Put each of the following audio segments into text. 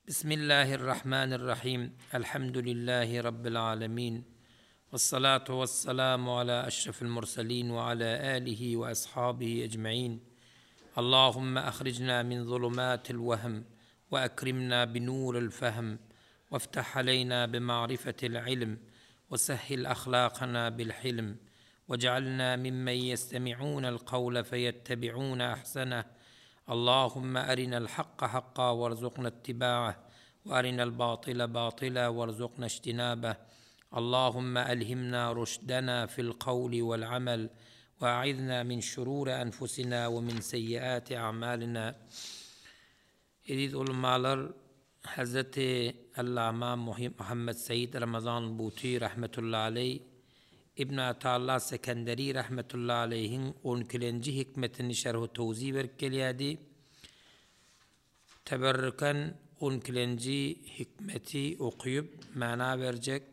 Bismillahirrahmanirrahim. Elhamdülillahi Rabbil alemin. Vessalatu vesselamu ala eşrefil murselin ve ala alihi ve ashabihi ecmain. Allahümme ahricna min zulumatil vehm ve ekrimna bi nuril fehm veftah aleyna bi ma'rifetil ilm ve sehhil ahlakana bil hilm واجعلنا ممن يستمعون القول فيتبعون احسنه اللهم ارنا الحق حقا وارزقنا اتباعه وارنا الباطل باطلا وارزقنا اجتنابه اللهم الهمنا رشدنا في القول والعمل واعذنا من شرور انفسنا ومن سيئات اعمالنا Eziz ulamalar Hazreti Allama Muhammet Seýit Ramazan Buty rahmetullahi aleý Ibn Atalla Sekenderi rahmetullahi aleýhiň on ikilenji hikmetini şerhu towzi berip gelýärdi. Teberrüken on ikilenji hikmeti okyp mana berjek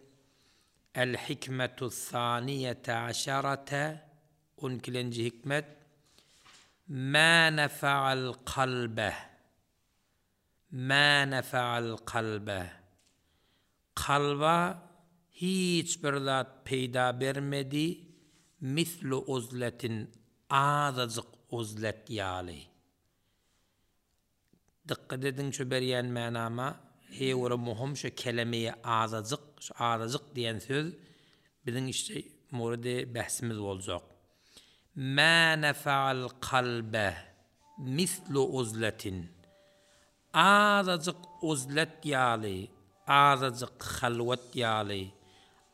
El hikmetu saniýete aşarate On ikilenji hikmet, Mä nefa'al kalbe, Mä nefa'al kalbe, Kalba hiç bir zat peýda bermedi, mislu uzletin, azajyk uzlet ýaly. Dykgat ediň şu berýän mänama, heýwere muhym şu kelemeýi azajyk, şu azajyk diýen söz biziň işde murady bähsimiz boljak. Mä nefa'al kalbe mislu uzletin. Azajyk uzlet ýaly, azajyk halwat ýaly,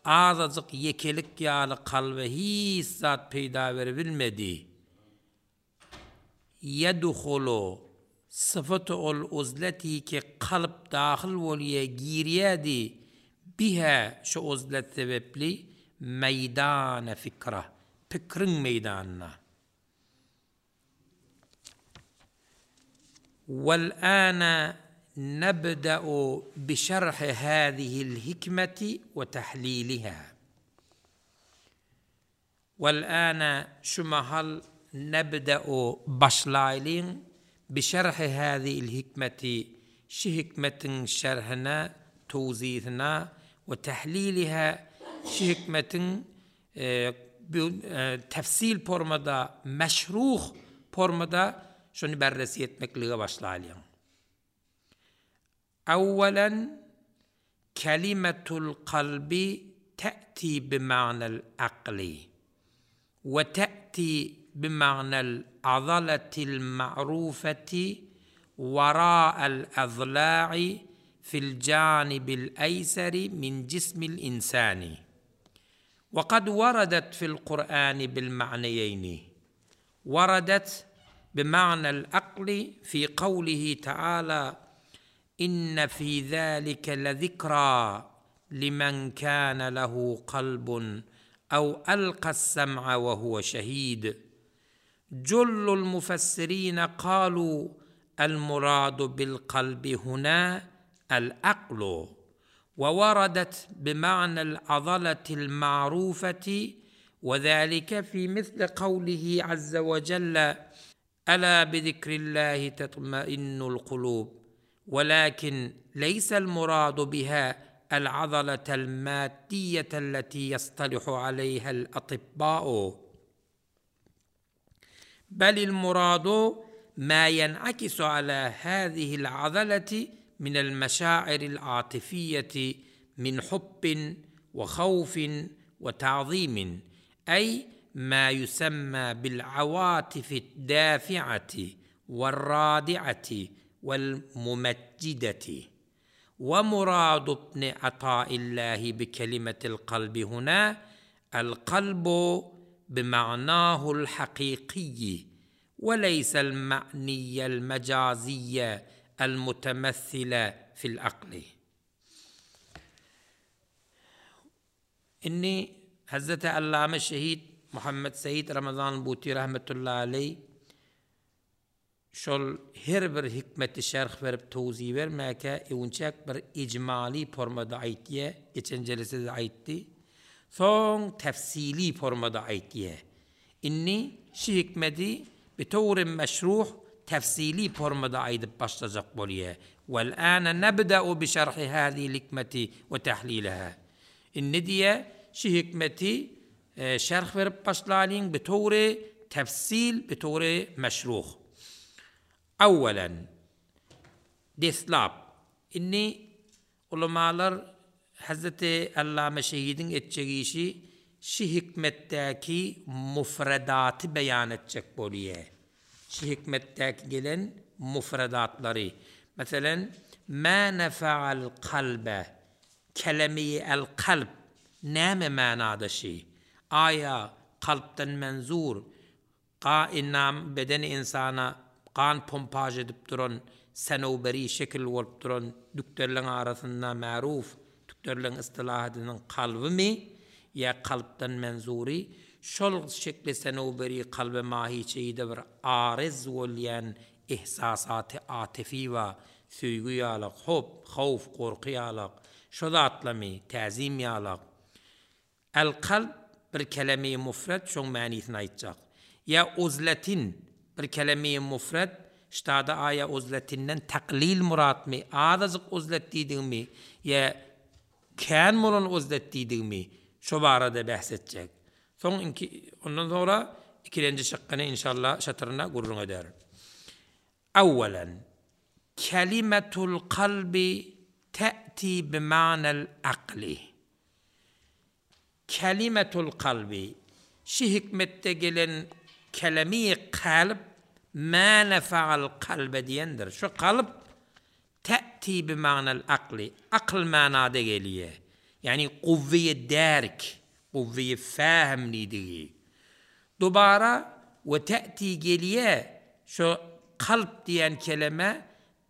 azajyk ýekelik ýaly kalba hiç zat peýda beribilmedi. Ýedhulu, syfaty ol uzleti ki kalp dahyl bolýa girýädi, biha şu uzlet sebepli meýdana fikra, pikriň meýdanyna. Wal ana nebda'u bi şerhi hazihil hikmeti we tahliliha. Wal-âne, şu mahal, nebde'u, başlaýlyň, bi şerhi hâzi'il hikmeti, şi hikmetiň şerhine, towzihine, we tehliliha, şi hikmetiň tefsil formada, meşruh formada şony berresi etmeklige başlaýlyň. Awwelen, kelimetul kalbi te'ti bima'nel akli we te'ti bima'nel azaletil ma'rufeti wara'el azla'i fil janibil eýseri min jismil insani. We kad waradet fil Kur'ani bil ma'neýeýni. Waradet bima'nel akli fi kawlihi ta'ala Inne fi zalike lezikra limen kâne lehu kalbun ew elkas sem'a ve huve şehîd. Jullul mufessirîne kâlû el muradu bil kalbi huna el aklu ve waradet bima'nel azaletil ma'rufeti ve zalike fi misli kawlihi azze ve celle Ela bizikrillahi tetmainnul kulub welakin leysel muradu biha el azaletel maddiyetelleti yastalihu aleyhel atibba'u belil muradu ma yen'akisu ala hazihil azaleti minel meşairil atifiyeti min hubbin ve havfin ve ta'zimin ey ma yusemma bil avatifid dafi'ati vel radi'ati vel mumeccideti ve muradu ibni ataillahi bi kelimetil kalbi huna el kalbu bi ma'nahul hakikiyyi ve leysel ma'niyyel mecaziyye el mutemessile fil akli. Indi Hazreti Allama Şehit Muhammet Seýit Ramazan Buty rahmetullahi aleý şol her bir hikmeti şerh berip towzi bermäkä öwünçäk bir ijmaly formada aýtýa, geçen jelesede aýtdy. Soň tefsili formada aýtýa. Indi şi hikmeti bi towri meşruh. tefsili formada aýdyp başlajak bolýa. Wal-âne nebde'u bi şerhi hâzihil hikmeti we tehliliha. Indi diýýä, şu hikmeti şerh berip başlalyň bi towry tefsil, bi towry meşruh. Awwelen, deslap, indi Ulamalar Hezreti Allame Şehidiň etjek işi şi hikmetdäki mufredaty beýan etjek bolýa. Şi hikmetdäki gelen mufredatlary. Meselem, Mä nefa'al kalbe, keleme-i el kalb näme manada şi? Aýa kalpdan menzur Ga ynam bedeni ynsana gan pompaž edip duran senowberi şekil bolup duran dükderleň arasynda märuf dükderleň ystylahadynyň kalbymy ýa kalpdan menzury şol şekli senowberi kalbe mahiçeýide bir arez bolýan ihsasaty atefi ba söýgi ýalak hop howf gorky ýalak şo zatlamy täzim ýalak Al-kalb bir keleme-i mufred şoň manysyny aýtjak. Ýa uzletin bir keleme-i mufred ştada aýa uzletinden taklil muratmy, azajyk uzlet diýdigimi ýa kän bolan uzlet diýdigimi şo barada bähs etjek. Soň inki ondan soňra ikilenji şykgyny inşallah şatyrynda gürrüň eder. Awwalan, kelimetul kalbi te'ti bima'nel akli. Kelimetul kalbi, şi hikmetde gelen kelemi kalb mä nefa'al kalbe diýendir. Şu kalb te'ti bima'nel akli, akyl manada gelýär. Ýagny kuwweýi därk, kuwweýi fähm diýdigi. Dubara we te'ti gelýär şu kalb diýen keleme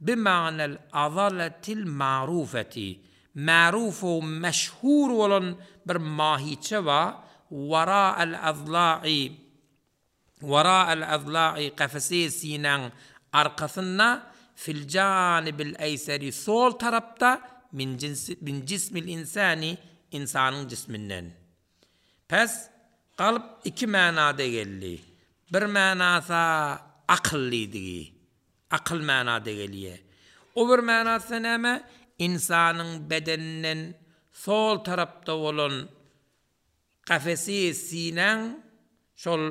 Bima'nel azaletil ma'rufeti, ma'ruf we meşhur bolan bir mahiçe bar, wara'al azla'i, wara'al azla'i kafese sinäň arkasynda, fil janibil eýseri sol tarapda, min jinsi, min jismil insani, ynsanyň jisminden. Pes, kalp iki manada geldi. Bir manasy akyl diýdigi. Akyl manada gelýär. O bir manasy näme? Ynsanyň bedeninden sol tarapda bolan kafesi sinäň şol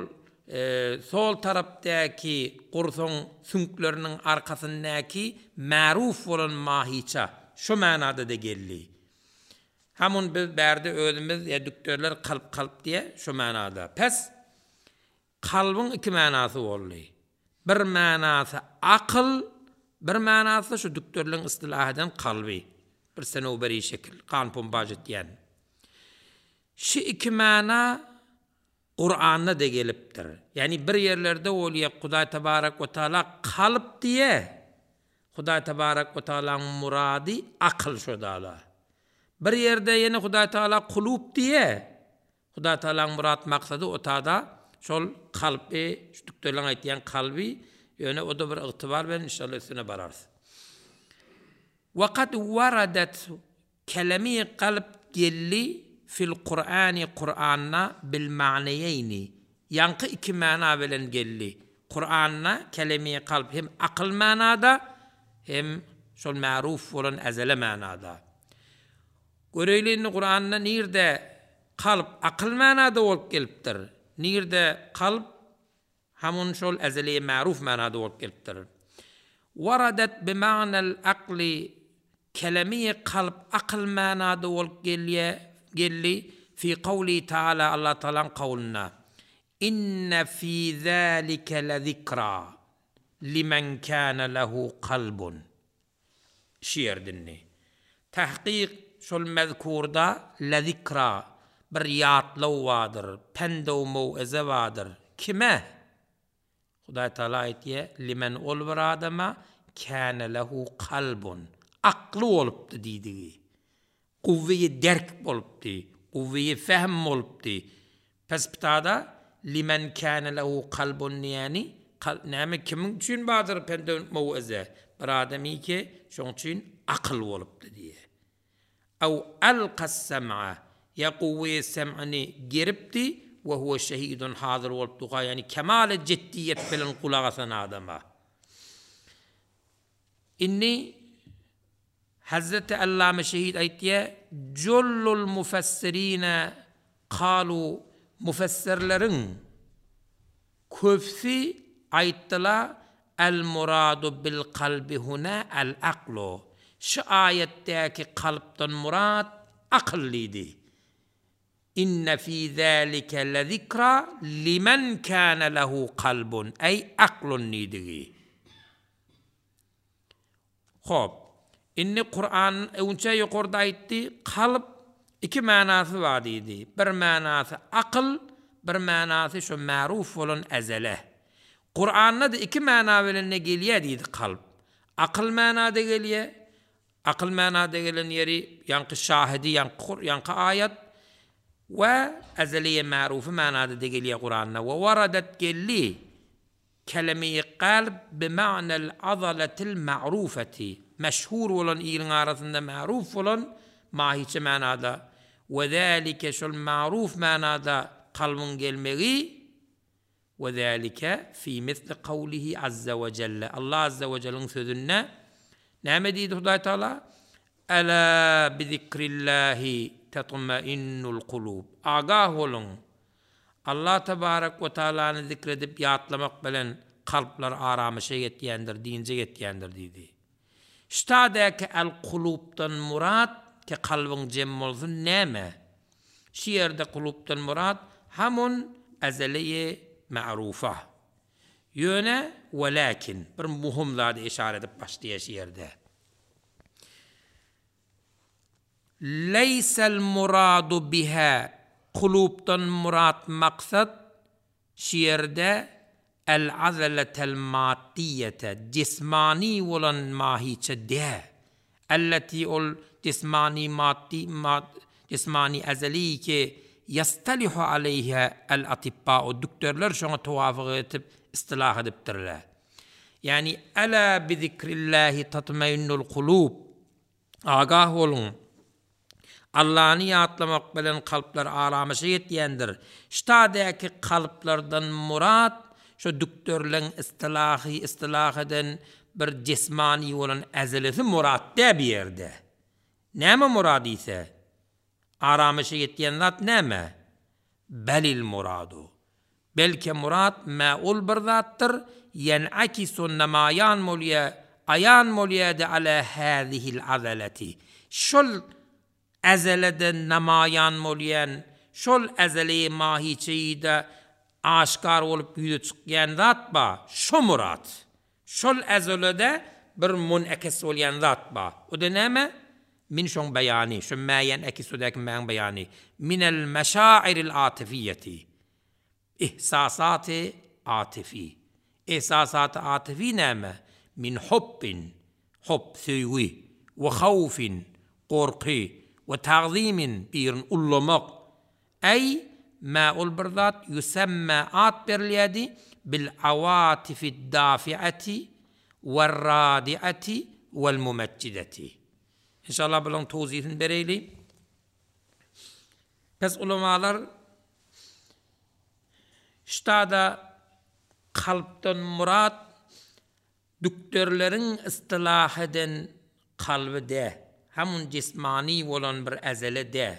sol tarapdaky gursagyň süňkleriniň arkasyndaky maruf bolan mahiça şo manada-da geldi. Hamun biz bärde özümiz ýa dükderler kalp kalp diýä şo manada. Pes Kalbyň iki manasy boldy. Bir manasy akyl, bir manasy-da şu dükderleň ystylah eden kalby. Bir senowberi şekil, gan pompaž etýän. Şu iki mana Kuranda-da gelipdir. Ýagny bir ýerlerde bolýa Hudaý Tebarek we Taala kalp diýe, Hudaý Tebarek we Taalaň murady akyl şodala. Bir ýerde ýene Hudaý Taala kulub diýe, Hudaý Tagalaň myrat maksady otada şol kalby şu dükderleň aýtýan kalby ýöne oda bir ygtybar bilen inşallah üstüne bararys. Wa kad waradat kelemi kalb geldi fil Kur'ani Kur'anda bil ma'neýeýni ýaňky iki mana bilen geldi Kur'anda kelemi kalb hem akyl manada hem şol märuf bolan ezele manada. Göreýli indi Kuranda nirde kalp akyl manada bolup gelipdir, nirde kalp hamun şol ezeli maruf manada bolup gelipdir. Waradat bima'nal akli kelemi kalp akyl manada bolup gelýä geldi fi kawli taala Allah Tagalaň kawlynda Inne fi zalike lezikra limen kana lehu kalbun. Şu ýerde indi. Tahkyk şol mezkurda lezikra bir ýatlaw bardyr, pend-u moweze bardyr. Kime? Hudaý Tagala aýtýar, limen ol bir adama, kâne lehu kalbun, akly bolupdy diýdigi. Kuwweýi derk bolupdy, kuwweýi fehm bolupdy. Pes pitada Limen kâne lehu kalbun diýýäni, näme kimiň üçin bardyr pende moweze? Bir adamyky şoň üçin akyl bolupdy diýýär. Ew alkas sem'a, ýa kuwweýi sem'ini geripdi, we huwe şehidun hazyr bolup duka, ýagny kemale jetdiýet bilen gulak asan adama. Indi Hazreti Allame Şehit aýtýar, Jullul mufessirine kalu mufessirleriň köpüsi aýtdylar, El muradu bil kalbi huna el aklu. Şu aýatdaky kalpdan murat akyl diýdi. Inne fi zalike lezikra limen kâne lehu kalbun, eý aklun diýdigi. Hop. Indi Kuran öňçä ýokarda aýtdy, kalp iki manasy bar diýdi. Bir manasy akyl, bir manasy şo maruf bolan ezele. Kuranda-da iki mana bilen-de gelýär diýdi kalp. Akyl manada gelýär. Akyl manada gelen ýeri ýaňky şahidi ýaňky ýaňky aýat we ezeleýe marufy manada-da gelýär Kuranda. We waradat geldi. Kelime-i kalb bima'nel azaletil ma'rufeti, meşhur bolan iliň arasynda ma'ruf bolan mahiçe manada, we zälike şol ma'ruf manada kalbyň gelmegi, we zälike fi misli kawlihi azze we jelle, Allah azze we jeliň sözünde näme diýdi Hudaý Taala? Ela bizikrillahi tetmainnul kulub, agah boluň, Allah tebarek we taalany zikredip ýatlamak bilen kalplar aramyşa ýetýändir, dynja ýetýändir diýdi. Ştadäki el-kulubdan murat ki kalbyň jem bolsun näme? Şu ýerde kulubdan murat hamun ezeleýi ma'rufa. Ýöne welakin bir muhum zady işara edip başlaýar şu ýerde. Leýsel muradu biha, kulubdan murat maksat, şu ýerde el-azaletel maddiýete, jismany bolan mahiçe dä, elleti ol jismany maddi jismany azali ki ýastalihu aleýha el-atibba'u, dükderler şoňa towafyk etip istilah edipdirler. Ýagny, Ela bizikrillahi tatmainnul kulub, Agah boluň! Allany ýatlamak bilen kalplar aramyşa ýetýändir. Ştadäki kalplardan murat, şo dükderleň ystylahy ystylah eden bir jesmany bolan äzelesi murat dä bi ýerde. Näme murat diýse? Aramyşa ýetýän zat näme? Belil muradu. Belke murat mä ol bir zatdyr, ýen'akisu namaýan bolýa, aýan bolýa-da ala häzihil azalati. Şol azelede namaýan bolýan, şol azeleýi mahiçeýi-de aşgär bolup ýüze çykýan zat ba, şo murat. Şol azelede bir mun'akis bolýan zat ba. O-da näme? Min şoň beýany, şo mäýen ekisudäki mäň beýany, minel meşairil atyfiýeti, ihsasaty atyfi. Ihsasaty atyfi näme? Min hubbin, hubb, söýgi, we hawfin, gorky, we tagzymin, birini ullamak, Äý, mä ol bir zat, ýusemmä at berilýärdi, bil awatifid dafi'ati werradi'ati welmumejjideti. Inşallah bularyň towzihini bereýli. Pes ulamalar ştada kalpdan murat Dükderleriň ystylah eden kalby dä, hamun jismany bolan bir azele dä.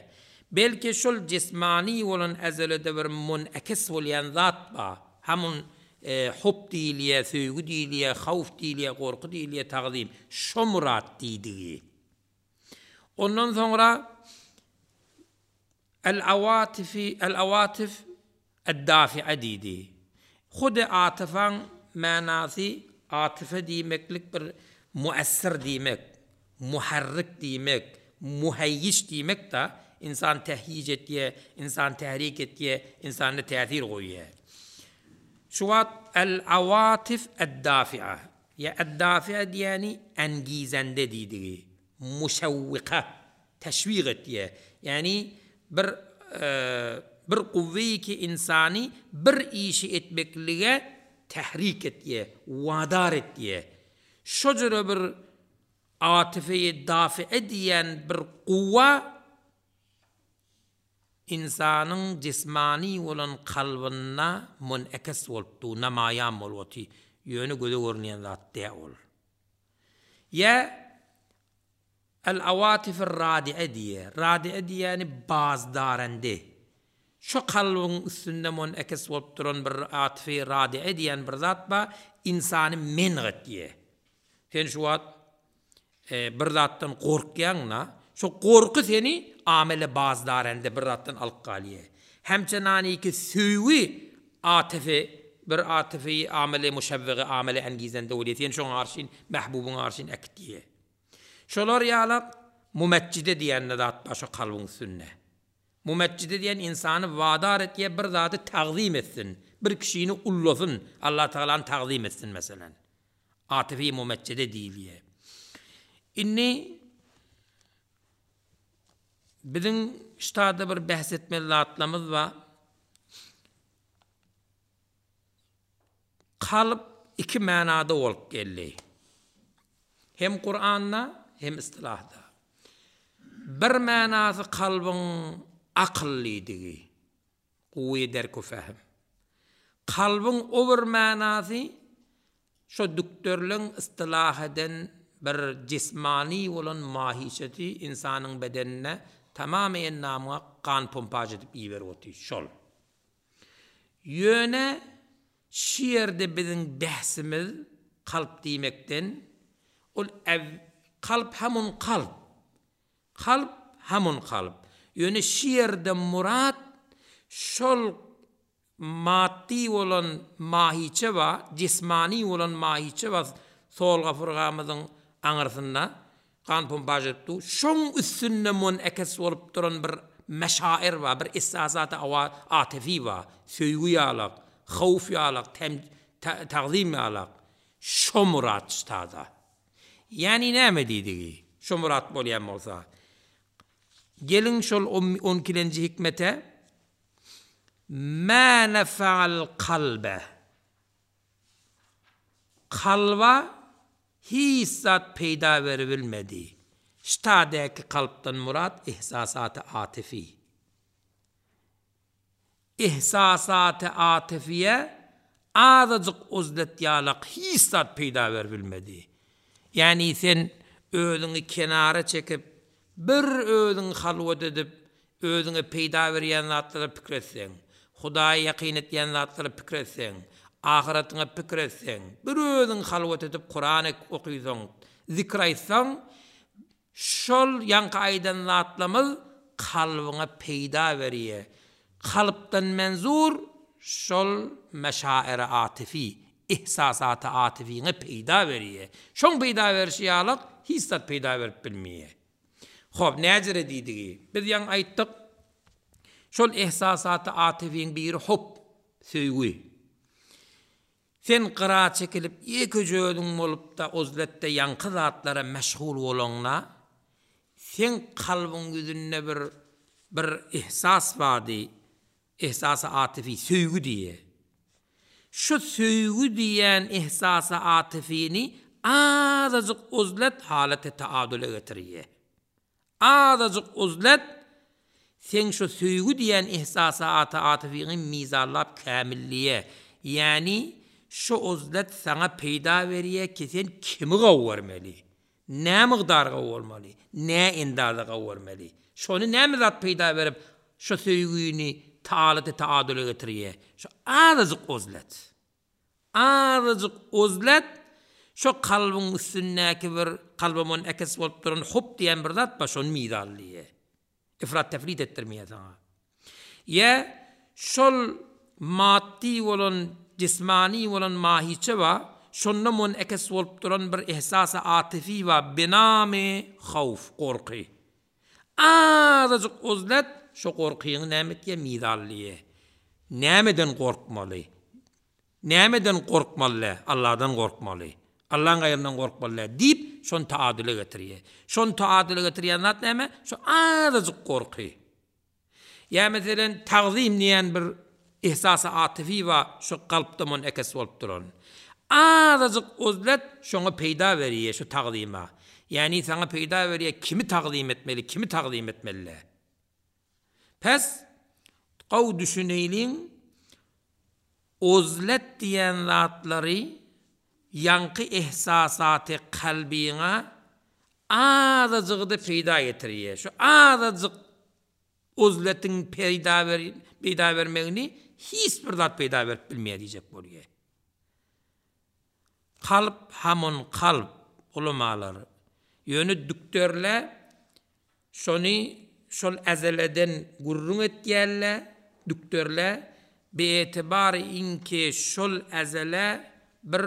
Belki şol jismany bolan azelede bir munakis bolýan zat ba. Hamun hub diýilýä, söýgi diýilýä, hawf diýilýä, gorky diýilýä, tagzym. Şo murat diýdigi. Ondan soňra El-awatifi, el-awatif ed-dafi'e diýdi. Hudy atyfaň manasy atyfa diýmeklik bir muessir diýmek, muharrik diýmek, muheýyiş diýmek-da, ynsan tehýij etýär, ynsan tehrik etýär, ynsanda täsir goýýar. Şu wagt el-awatif ed-dafi'e, ýa ed-dafi'e diýýäni engizende diýdigi, muşewwika, teşwik etýär. Ýagny bir bir guwweýi ki ynsany bir işi etmeklige tehrik etýär, wadar etýär. Şo jüre bir atyfeýi dafie diýen bir guwwa ynsanyň jismany bolan kalbynda munekes bolup dur, namaýan bolup otyr. Ýöne göze görünýän zat däl ol. Ýa El-awatifir radi'e diýýär. Radi'e diýýäni bazdarende. Şo kalbyň üstünde munekes bolup duran bir atyfy radi'e diýen bir zat bar, ynsany menk etýär. Sen şu wagt bir zatdan gorkýaň-da, şo gorky seni amele bazdarende bir zatdan alyp galýar. Hemçenaniki söýgi atyfy bir atyfy amele muşewwigi, amele engizende bolýar, seni şoňa garşyn, mähbubyňa garşyn äkitýär. Şolar ýalak mumejjide diýende zat bar şo kalbyň üstünde. Mumejjide diýen ynsany wadar etýär bir zady tagzym etsin, bir kişini ullasyn, Allatagalany tagzym etsin meselen. Atyfy mumejjide diýilýär. Indi biziň ştada bir bähs etmeli zatlarymyz bar. Kalp iki manada bolup geldi. Hem Kuranda, hem ystylahda. Bir manasy kalbyň akyl diýdigi, guwy derku fehm. Kalbyň o bir manasy şo dükderleň ystylah eden bir jismany bolan mahiýeti ynsanyň bedenine tamamy endamyňa gan pompaž edip iberip otyr, şol. Ýöne şu ýerde biziň bähsimiz kalp diýmekden, ol äw, kalp hamun kalp. Kalp hamun kalp. Ýöne şu ýerde murat şol maddy bolan mahiçe bar, jismany bolan mahiçe bar sol gapyrgamyzyň aňyrsynda. Gan pompaž edip dur. Şoň üstünde munekes bolup duran bir meşair bar, bir ihsasat-y atefi bar. Söýgi ýalak, howf ýalak, tagzym ýalak. Şo murat ştada. Ýani näme diýdigi? Şo murat bolýan bolsa. Geliň şol on ikilenji hikmete. Mä nefa'al kalbe. Kalba hiç zat peýda beribilmedi. Ştadäki kalpdan murat ihsasaty atyfy. Ihsasaty atyfyýe azajyk uzlet ýalak hiç zat peýda beribilmedi. Ýagny sen özüňi kenara çekip, bir özüňi halwat edip, Özüňe peýda berýän zatlary pikir etseň, Hudaýa ýakyn etýän zatlary pikir etseň, ahyratyňa pikir etseň, bir özüň halwat edip Kuran okysaň, zikir aýtsaň, şol ýaňky aýdan zatlamyz kalbyňa peýda berýär. Kalpdan menzur şol meşairi atyfy, ihsasaty atyfyňa peýda berýär. Şoň peýda berşi ýalak hiç zat peýda berip bilmeýär. Hop, näjere diýdigi? Biz ýaňy aýtdyk. Şol ehsasaty atyfyň biri hop, söýgi. Sen gyra çekilip, ýekeje özüň bolup-da, uzletde ýaňky zatlara meşgul bolaňda, seň kalbyň ýüzünde bir bir ihsas bardy, Ihsasy atyfy, söýgi diýýär. Şu söýgi diýýän ihsasy atyfyny azajyk uzlet halaty taadule getirýär. Azajyk uzlet seň şu söýgi diýýän ihsasy atyfyňy mizanlap kämilleýär. Ýäni şu uzlet saňa peýda berýär ki sen kimi gowy görmeli? Nä mygdar gowurmaly, nä endaza gowurmaly? Şony näme zat peýda berip, şo söýgini taalaty taadula getirýär? Şo azajyk uzlet. Azajyk uzlet şo kalbyň üstündäki bir kalba munekes bolup duran hub diýen bir zat bar, şony mizallyýar. Ifrat-tefrit etdirmeýär saňa. Ýa şol maddy bolan, jismany bolan mahiçe bar, şonda munekes bolup duran bir ihsas-y atyfy bar, binamy howf, gorky. Azajyk uzlet, şo gorkyňy näme etýär, mizallyýar. Nämeden gorkmaly? Nämeden gorkmaly dä? Alladan gorkmaly. Allaň gaýryndan gorkmaly dä diýip, şony taadyla getirýär. Şony taadyla getirýän zat näme? Şo azajyk gorky. Ýa meselem, tagzym diýen bir ihsasy atyfy bar, şo kalpda munekes bolup duran. Azajyk uzlet şoňa peýda berýär, şo tagzyma. Ýagny saňa peýda berýär, kimi tagzym etmeli, kimi tagzym etmeli dä. Pes, gowy düşüneýliň, Uzlet diýen zatlary. ýaňky ihsasaty kalbyňa azajygy-da peýda getirýär. Şu azajyk uzletiň peýda peýda bermegini hiç bir zat peýda berip bilmeýär diýjek bolýar. Kalp hamon kalp, ulamalar. Ýöne dükderle Şony şol äzeleden gürrüň etýärler, dükderle, bi-etibary inki şol äzele bir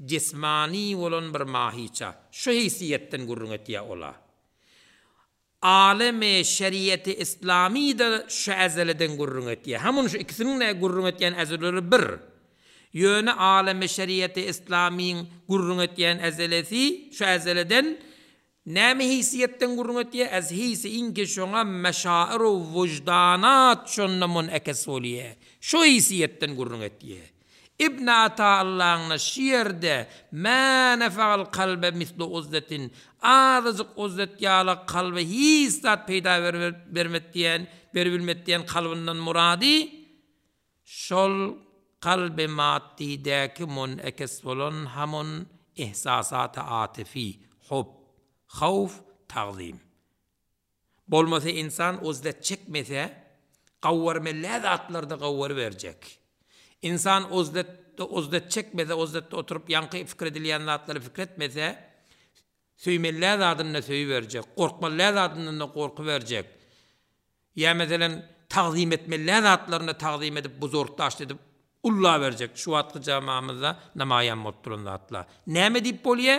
jesmany bolan bir mahyça. Şu heýsiýetden gürrüň etýär ola. Alemi şeriýeti islamy-da şu äzeleden gürrüň etýär. Hem şu ikisiniň-de gürrüň etýän äzeleri bir. Ýöne alemi şeriýeti islamyň gürrüň etýän äzelesi şu äzeleden Näme heýsiýetden gürrüň etýär, ez heýsi inki şoňa meşairu wyždanat şonda munekes bolýar. Şo heýsiýetden gürrüň etýär. Ibn Ataallaňna şu ýerde mä nefeal kalbe mislu uzletin, azajyk uzlet ýaly kalba hiç zat peýda bermet diýen, beribilmet diýen kalbyndan murady, Şol kalby maddidäki munekes bolan hamun ihsasat-y atyfy, hub, howf, tagzym. Bolmasa ynsan uzlet çekmese, gawwarmellä zatlarda gawwaryberjek. Ynsan uzletde uzlet çekmese, uzletde oturyp ýaňky pikir edilýän zatlary pikir etmese, söýmelä zadynda söýüberjek, gorkmalä zadyndan-da gorkuberjek. Ýa meselem, tagzym etmeli zatlaryna tagzym edip, buzurtdaşt edip, ullaberjek, şu wagtky jamamyzda namaýan bolup duran zatlar. Näme diýip bolýa?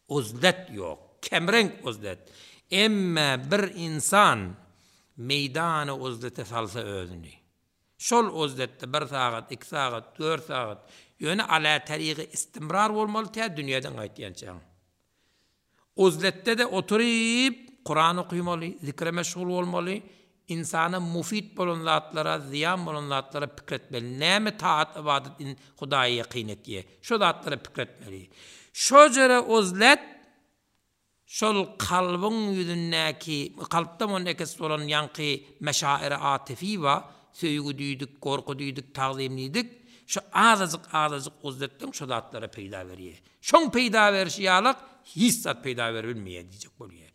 Uzlet ýok. Kemreňk uzlet. Emme bir ynsan meýdany uzlete salsa özüni. Şol uzletde bir sagat, iki sagat, dört sagat, ýöne alä terygy istimrar bolmaly tä dünýeden gaýtýançaň. Uzletde-de oturyp, Kuran okymaly, zikre meşgul bolmaly, ynsana mufid bolan zatlara, zyýan bolan zatlara pikir etmeli. Näme taat-ybadat Hudaýa ýakyn etýär? Şo zatlara pikir etmeli. Şo jere uzlet şol kalbyň ýüzündäki, kalpda munekes bolan ýaňky meşairi atyfy bar, söýgi diýdik, gorky diýdik, tagzym diýdik, şo azajyk-azajyk uzletden şo zatlara peýda berýär. Şoň peýda berişi ýalak hiç zat peýda beribilmeýär diýjek bolýar.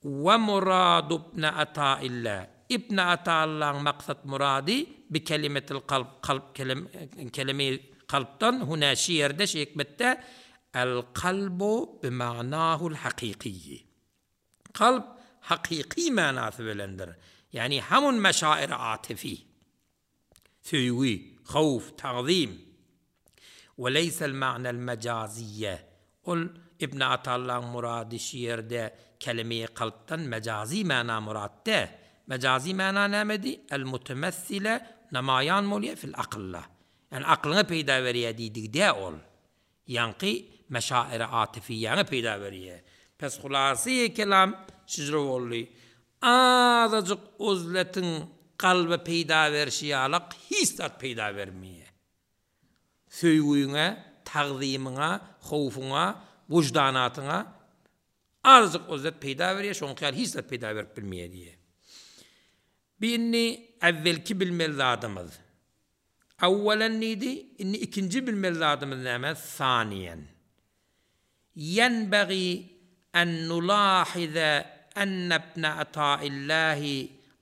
We muradu ibn Atailla, Ibn Ataallaň maksat murady bi kelimetil kalb, kalb kelime kalpdan, huna şi ýerde, şi hikmetde, el kalbu bi ma'nahul hakykyýi. Kalp hakyky manasy bilendir. Ýagny hamun meşairi atyfy. Söýgi, howf, tagzym. We leýsel ma'nel mejaziýe. Ol Ibn Atallaň murady şu ýerde kelime-i kalpdan mejazi mana murat dä. Mejazi mana nämedi? El mutemessile namaýan bolýar fil akylla. Ýagny aklyňa peýda berýär diýdigi dä ol. Ýaňky meşairi atyfiýäňe peýda berýär. Pes hulasaýy kelam şujra boldy. Azajyk uzletiň kalba peýda berşi ýalak hiç zat peýda bermeýär. Söýgüňe, tagzymyňa, howfuňa, wyždanatyňa azajyk uzlet peýda berýär, şoňky ýaly hiç zat peýda berip bilmeýär diýýär. Bi indi äwwelki bilmeli zadymyz. Awwelen diýdi, indi ikinji bilmeli zadymyz näme? Saniýen. Ýenbagi en nulahize enne ibne Ataillahi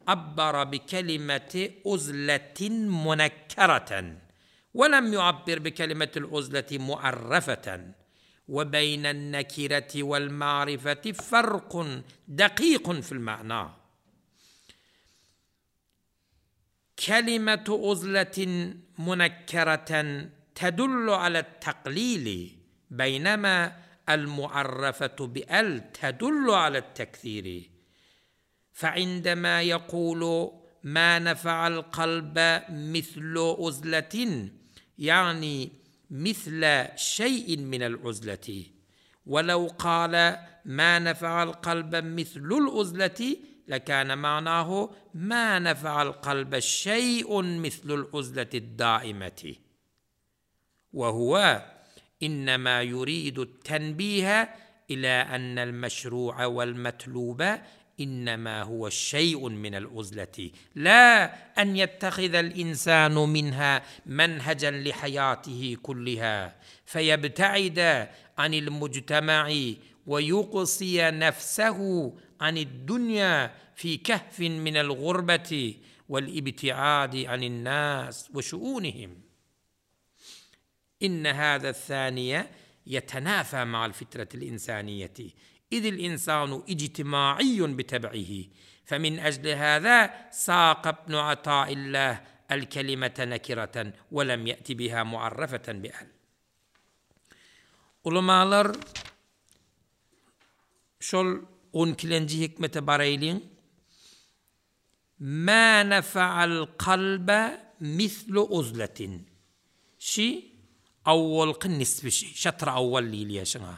abbara bi kelimeti uzletin munekkereten we lem yuabbir bi kelimetil uzleti muarrefeten we beýnen nekireti wel ma'rifeti ferkun dakikun fil ma'na. Kelimetu uzletin munekkereten tedullu alet taklili, beýnema el muarrafetu bi el tedullu alet tekfiri. Feindema yekulu ma nefa'al kalbe mislu uzletin, ýagny misle şeý'in minel uzleti. Welew kale ma nefa'al kalbe mislul uzleti lekâne ma'nâhu ma nefa'al kalbe şeý'un mislul uzletid daimeti. Ve huve innemâ yuridu tenbîhe ilâ ennel meşrû'e vel metlûbe Innema huwe şeý'un minel uzleti, la en ýettehizel insanu minha menhejen li haýatihi kulliha, feýebteide anil mujtema'i we ýuqsiýe nefsehu anid dunýa fi kehfin minel gurbeti wel ibtiadi anin nas we şuunihim. Inne hâze thâniye yetenâfâ ma'al fitretil insâniyeti, izil insanu ijtimaiyyun biteb'ihi, femin ecli hâzâ sâka ibnu Atâillah el kelimete nekireten ve lem ye'ti biha muarrafeten bi el. Ulamalar şol on ikilenji hikmete baraýlyň, Mä nefe'al kalbe mislu uzletin. Şi awwalky nisbi şi, şatr awwal diýilýär şuňa.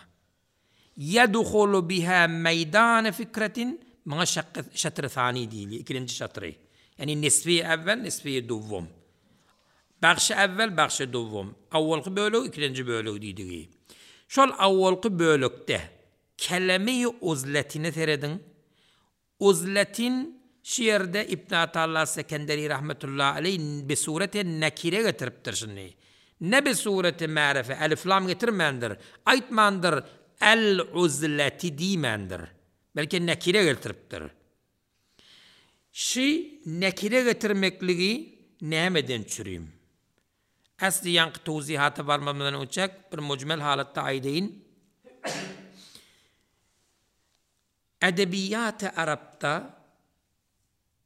Ýedhulu biha meýdane fikretin, muňa şakky şatry sani diýilýär, ikilenji şatry. Ýagny nisbi awwal, nisbi duwwum. Bagşy awwal, bagşy duwwum. Awwalky bölegi, ikilenji bölegi diýdigi. Şol awwalky bölekde keleme-i uzletine serediň. Uzletin, şu ýerde Ibn Atalla Sekenderi rahmetullahi aleý bi sureti nekire getiripdir şuny. Ne bi sureti märefe, elif-lam getirmändir. Aýtmandyr, el-uzleti diýmändir. Belki nekire getiripdir. Şy nekire getirmekligi nämeden çürim? Asly ýaňky towzihata barmazymyzdan öňçäk bir mujmel halatda aýdaýyn. Edebiýaty arapda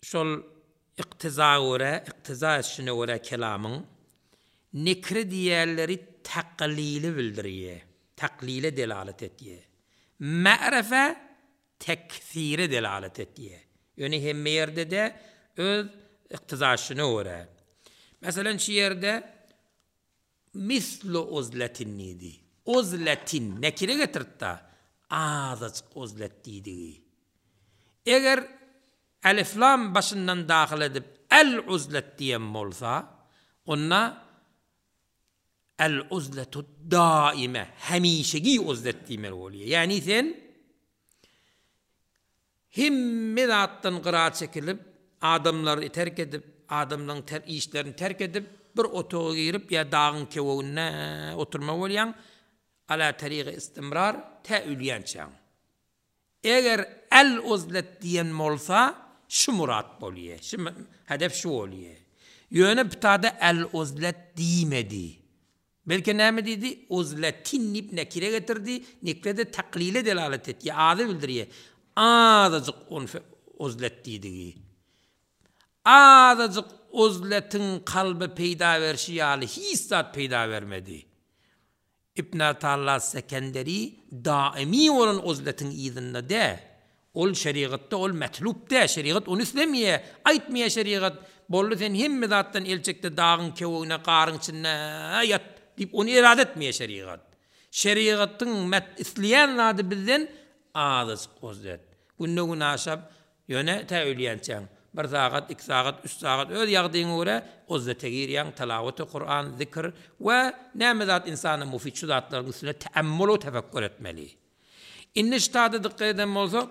şol yktyza görä, yktyza etişine görä kelamyň nekre diýýänleri taklili bildirýär, taklile delalat etýär. Märefe teksire delalat etýär. Ýöne hemme ýerde-de öz yktyza etişine görä. Meselem, şu ýerde Mislu uzletin diýdi. Uzletin, nekire getirdi-da, azajyk uzlet diýdigi. Eger elif-lam başyndan dahyl edip el-uzlet diýen bolsa, onda el-uzletud-daime, hemişegi uzlet diýmeli bolýar. Ýagny sen Hemme zatdan gyra çekilip, adamlary terk edip, adamlaryň ter işlerini terk edip, bir otaga girip ýa dagyň keweginde oturmaly bolýaň, ala terigi istimrar, tä ölýänçäň. Eger el-uzlet diýen bolsa, şu murat bolýar, şu hedef şu bolýar. Ýöne bu tada el-uzlet diýmedi. Belki näme diýdi? Uzletin diýip nekire getirdi, nekire-de taklile delalet etýär, azy bildirýär. Azajyk uzlet diýdigi. Azajyk uzletiň kalba peýda berşi ýaly hiç zat peýda bermedi. Ibn Atalla Sekenderi daimi bolan uzletiň yzynda däl. Ol şerigatda ol metlub däl, şerigat ony islemeýär. Aýtmaýar şerigat, boldy sen hemme zatdan el çekde dagyň kewegine garyň içinde ýat diýip ony erada etmeýär şerigat. Şerigatyň isleýän zady bizden azajyk ozlet. Günde gün aşap ýöne tä ölýänçäň bir sagat, iki sagat, üç sagat öz ýagdaýyňa görä ozlete girýäň, talawaty Kuran, zikr we näme zat ynsana mufid şu zatlaryň üstünde täemmul we tefekkür etmeli. Indi ştada dykgat eden bolsak,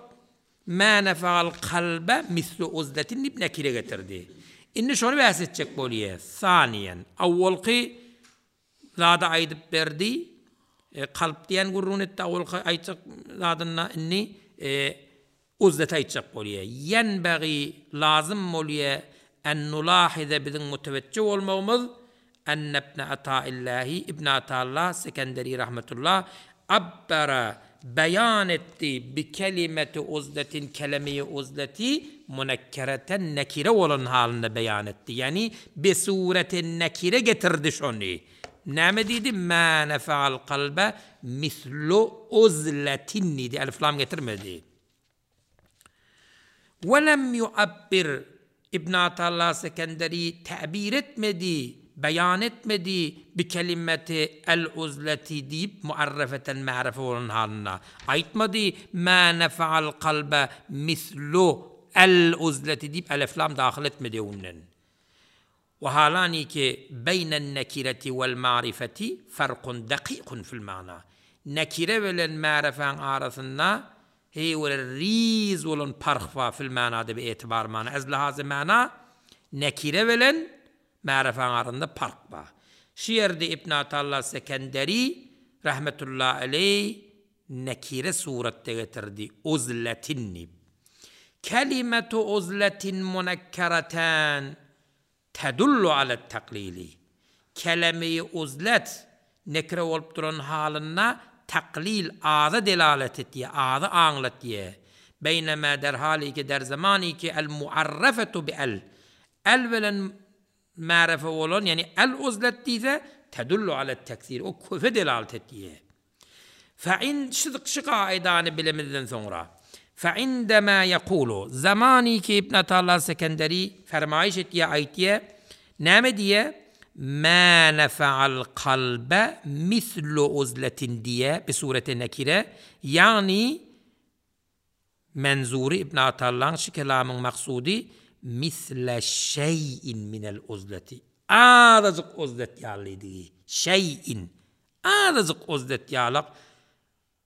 Mä nefeal kalbe mislu uzletin diýip nekire getirdi. Indi şony bäs etjek bolýar. Saniýen, awwalky zady aýdyp berdi, kalp diýen gürrüňini etdi awwalky aýtjak zadynda, indi uzleti aýtjak bolýar. Ýenbegi, lazym bolýar, en nulahize biziň mütewejjih bolmagymyz, Enne ibne Ataillahi, Ibn Atalla Sekenderi rahmetullah, abbara, beýan etdi, bi kelimeti uzletin, keleme-i uzleti munekkereten, nekire bolan halynda beýan etdi. Ýagny, bi sureti nekire getirdi şony. Näme diýdi? Mä nefeal kalbe mislu uzletin diýdi, elif-lam getirmedi. Welem ýuabbir, Ibn Atalla Sekenderi täbir etmedi, beýan etmedi, bikelimeti el-uzleti diýip muarrefeten märefe bolan halynda. Aýtmady, mä nefeal kalbe mislu el-uzleti diýip elef-lam dahyl etmedi öňünden. Wahalaniki beýnen-nekireti wel-marifeti farkun dakikun fil-mana. Nekire bilen märefäň arasynda. Heý, wele riz bolan parh bar fil manada bi etibar mana. Ez lihazy mana nekire bilen märefaň arasynda parh bar. Şu ýerde Ibn Atalla Sekenderi rahmetullahi aleý nekire suratda getirdi, uzletin diýip. Kelimetu uzletin munekkereten Tedullu alet taklili. Keleme-i uzlet nekire bolup duran halynda taklil aza delalet etýär, azy aňlatýar. Beýnemä derhaliki derzamaniki el muarrafetu bi el. El bilen märefe bolan, ýagny el uzlet diýse, tedullu alet teksir, o köpe delalet etýär. Fe-in, şu kaidany bilemizden soňra, Fe-indemâ ýekulu, zamany ki Ibn Atalla Sekenderi fermaýyş etýär, aýtýar, näme diýýär? Mâ nefe'al kalbe mislu uzletin diýýär, bi sureti nekire, ýagny Menzury Ibn Atallaň şu kelamyň maksudy misle şeý'in minel uzleti, azajyk uzlet ýalydygy, şeý'in, azajyk uzlet ýalak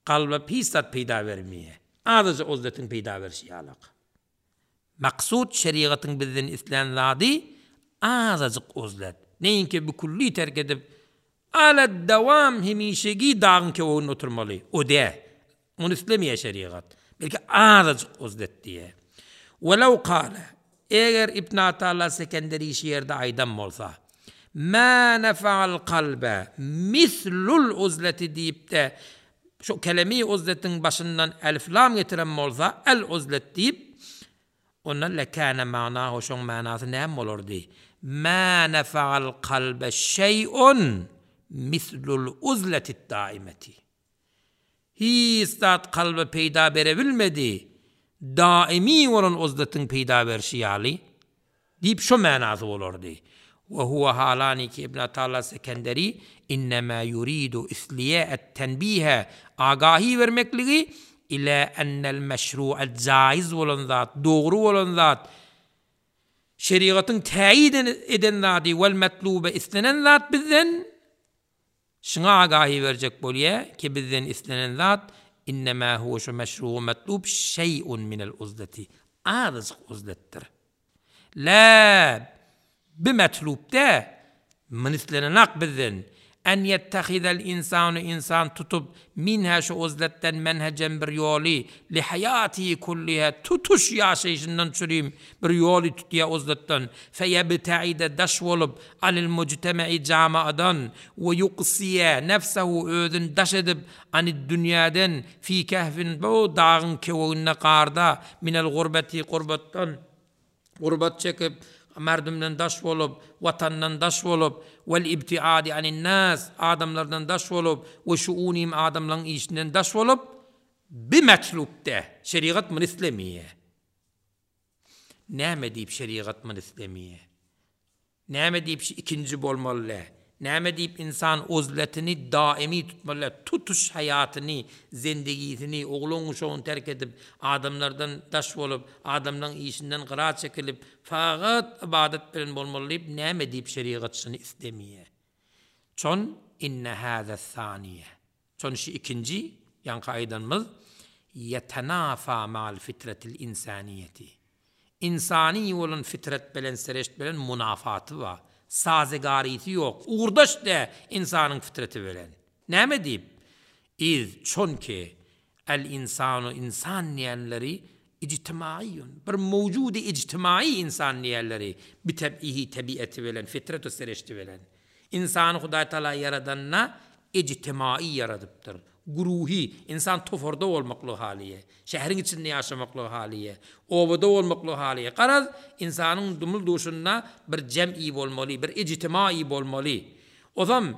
kalba hiç zat peýda bermeýär, azajyk uzletiň peýda berşi ýalak. Maksut şerigatyň bizden islän zady azajyk uzlet, neýinki bükülli terk edip, Alad-dawam hemişegi dagyň keweginde oturmaly, o dä. Muny islemeýär şerigat. Belki azajyk uzlet diýýär. Welew kale, eger Ibn Atalla Sekenderi şu ýerde aýdan bolsa, Mä nefa'al kalbe mislul uzleti diýip-de, şu kelemi uzletiň başyndan elif-lam getiren bolsa, el-uzlet diýip, Onda lekâne ma'nahu şoň manasy näme bolardy? Mâ nefa'al kalbe şeý'un mislul uzletid daimeti. Hiç zat kalba peýda berebilmedi, daimi bolan uzletiň peýda berşi ýaly. Diýip şo manasy bolardy. We huwe halaniki Ibn Atalla Sekenderi innemâ ýuridu isleýä et-tenbihe agahi bermekligi ilâ ennel meşru'e jaýyz bolan zat, dogry bolan zat, şerigatyň täýin eden zady wel metlube islenen zat bizden, Şuňa agahi berjek bolýa ki bizden islenen zat, innemâ huwe şu meşrugy metlub şeý'un minel uzleti, azajyk uzletdir. Lâ bi metlub dä, muny islenenak bizden, en ýettehizel insanu insan tutup minhä şu uzletden menhejen bir ýoly, li haýatihi kullihä tutuş ýaşaýşyndan çürim bir ýoly tutýa uzletden, feýebteide daş bolup, Anil mujteme'i jamadan, we ýuksiýe nefsehu özüni daş edip, anid dünýäden, fi kehfin bu dagyň keweginde garda, minel gurbeti gurbatdan, gurbat çekip, merdümden daş bolup, watandan daş bolup, wel ibtiadi anin nas adamlardan daş bolup, we şuunihim adamlaryň işinden daş bolup, bi metlupde, şerigat muny islemeýär. Näme diýip şerigat muny islemeýär? Näme diýip şu ikinji bolmaly däl? Näme diýip ynsan uzletini daimi tutmaly däl? Tutuş haýatyny, zendigisini, oglan-uşagyny terk edip, adamlardan daş bolup, adamlaryň işinden gyra çekilip, fakat ybadat bilen bolmaly diýip, näme diýip şerigat şuny islemeýär? Çon inne hâze saniýe. Şon şu ikinji, ýaňky aýdanymyz, ýetenafa ma'al fitretil insaniýeti. Ynsany bolan fitret bilen, sereşt bilen munafaty bar. Sazegarysy ýok, ugurdaş dä ynsanyň fitreti bilen. Näme diýip? Iz, çonki, el insanu ynsan diýenleri ijtimaiyun, bir mowjudy ijtimai ynsan diýenleri, biteb'ihi tebiaty bilen, fitretu sereşti bilen. Ynsany Hudaý Taala ýaradanda ijtimai ýaradypdyr. Güruhi, ynsan toparda bolmaklygy halyýa, şäheriň içinde ýaşamaklygy halyýa, obada bolmaklygy halyýa. Garaz, ynsanyň dumly-duşunda bir jem'i bolmaly, bir ijtimai bolmaly. Ozam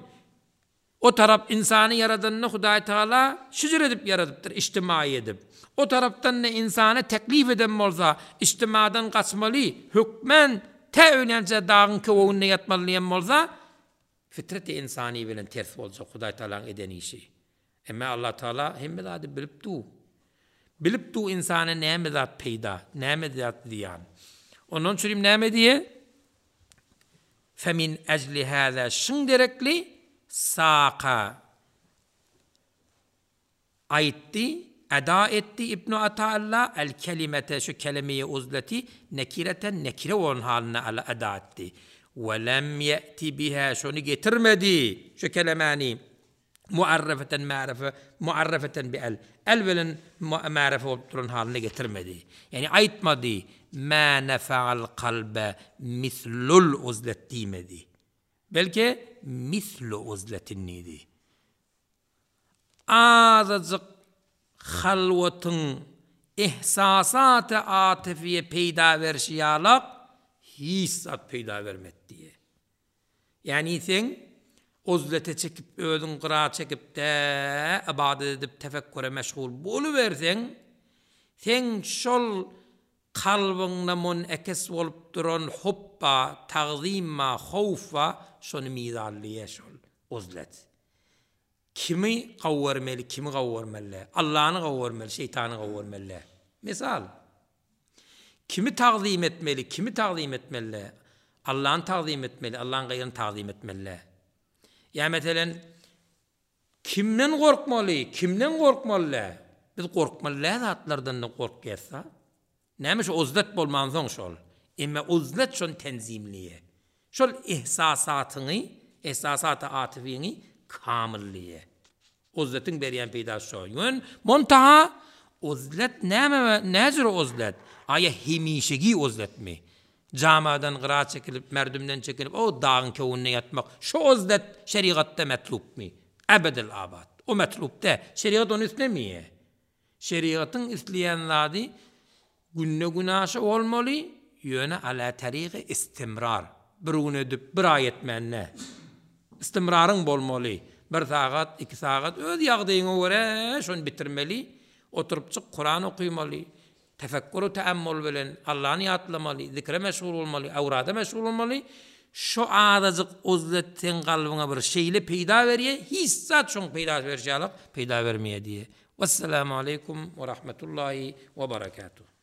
o tarap ynsany ýaradanda Hudaý Taala şüjür edip ýaradypdyr, ijtimai edip. O tarapdan-da ynsana teklip eden bolsa, ijtimadan gaçmaly, hökmän Tä ölýänçä dagyň köweginde ýatmaly diýen bolsa, fitreti ynsany bilen ters boljak Hudaý Tagalaň eden işi. Emma Allah Tagala hemme zady bilip dur. Bilip dur ynsana näme zat peýda, näme zat zyýan. Ondan çürim näme diýe? Femin ejli hâzâ şyň derekli saka aýtdy. Eda etdi Ibnu Ataalla el-kelimete şu kelimeyi uzleti nekireten nekire bolan halyna eda etdi. We lem ýe'ti biha şony getirmedi şu kelemäni muarrefeten ma'refe muarrefeten bi el el bilen ma'refe bolup duran halyna getirmedi. Ýagny aýtmady ma nefa'al kalbe mislul uzlet diýmedi. Belki mislu uzletin diýdi. Azajyk halwatyň ihsasat-y atyfyýe peýda berşi ýalak hiç zat peýda bermedi diýýär. Ýagny seň uzlete çekip özüň gyra çekip-de ybadat edip tefekküre meşgul boluberseň, seň şol kalbyňda munekes bolup duran hupba, tagzymma, howfba şony mizanlaýar şol uzlet. Kimi gowurmaly, kimi gowurmaly däl. Allany gowurmaly, şeýtany gowurmaly däl. Mysal. Kimi tagzym etmeli, kimi tagzym etmeli däl. Allany tagzym etmeli, Allaň gaýryny tagzym etmeli däl. Ýa meselen, kimden gorkmaly, kimden gorkmaly däl. Biz gorkmaly däl zatlardan-da gorkýas-da. Näme şu uzlet bolmansoň şol. Emme uzlet şony tenzimleýär. Şol ihsasatyňy, ihsasat-y atyfyňy kamylleýär. Uzletiň berýän peýdasy şo. Ýön, montaha uzlet näme, näjür uzlet? Aýa hemişegi uzletmi? Jamadan gyra çekilip, merdümden çekinip, o dagyň kewünde ýatmak, şo uzlet şerigatda metlupmy? Ebedel abat. O metlup däl. Şerigat ony islemeýär. Şerigatyň isleýän zady günde-günaşa bolmaly, ýöne ala tarygy istimrar, bir gün edip, bir aý etmän däl. Istimraryň bolmaly. Bir sagat, iki sagat öz ýagdaýyňa görä şony bitirmeli, oturypjyk Kuran okymaly, Tefekkür-u teammul bilen Allany ýatlamaly, zikre meşgul bolmaly, awrada meşgul bolmaly. Şo azajyk uzlet seň kalbyňa bir şeýle peýda berýär, hiç zat şoň peýdasy berşi ýalak peýda bermeýär diýýär. Wessalamu aleýkum we rahmetullahi we berekatuh.